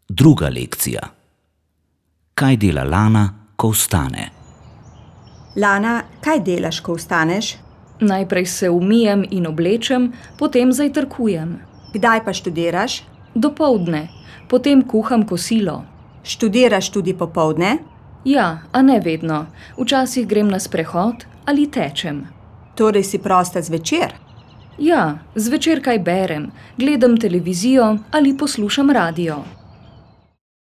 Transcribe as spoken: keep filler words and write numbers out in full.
Druga lekcija. Kaj dela Lana, ko vstane? Lana, kaj delaš, ko vstaneš? Najprej se umijem in oblečem, potem zajtrkujem. Kdaj pa študiraš? Dopoldne, potem kuham kosilo. Študiraš tudi popoldne? Ja, a ne vedno. Včasih grem na sprehod ali tečem. Torej si prosta zvečer? Ja, zvečer kaj berem, gledam televizijo ali poslušam radio.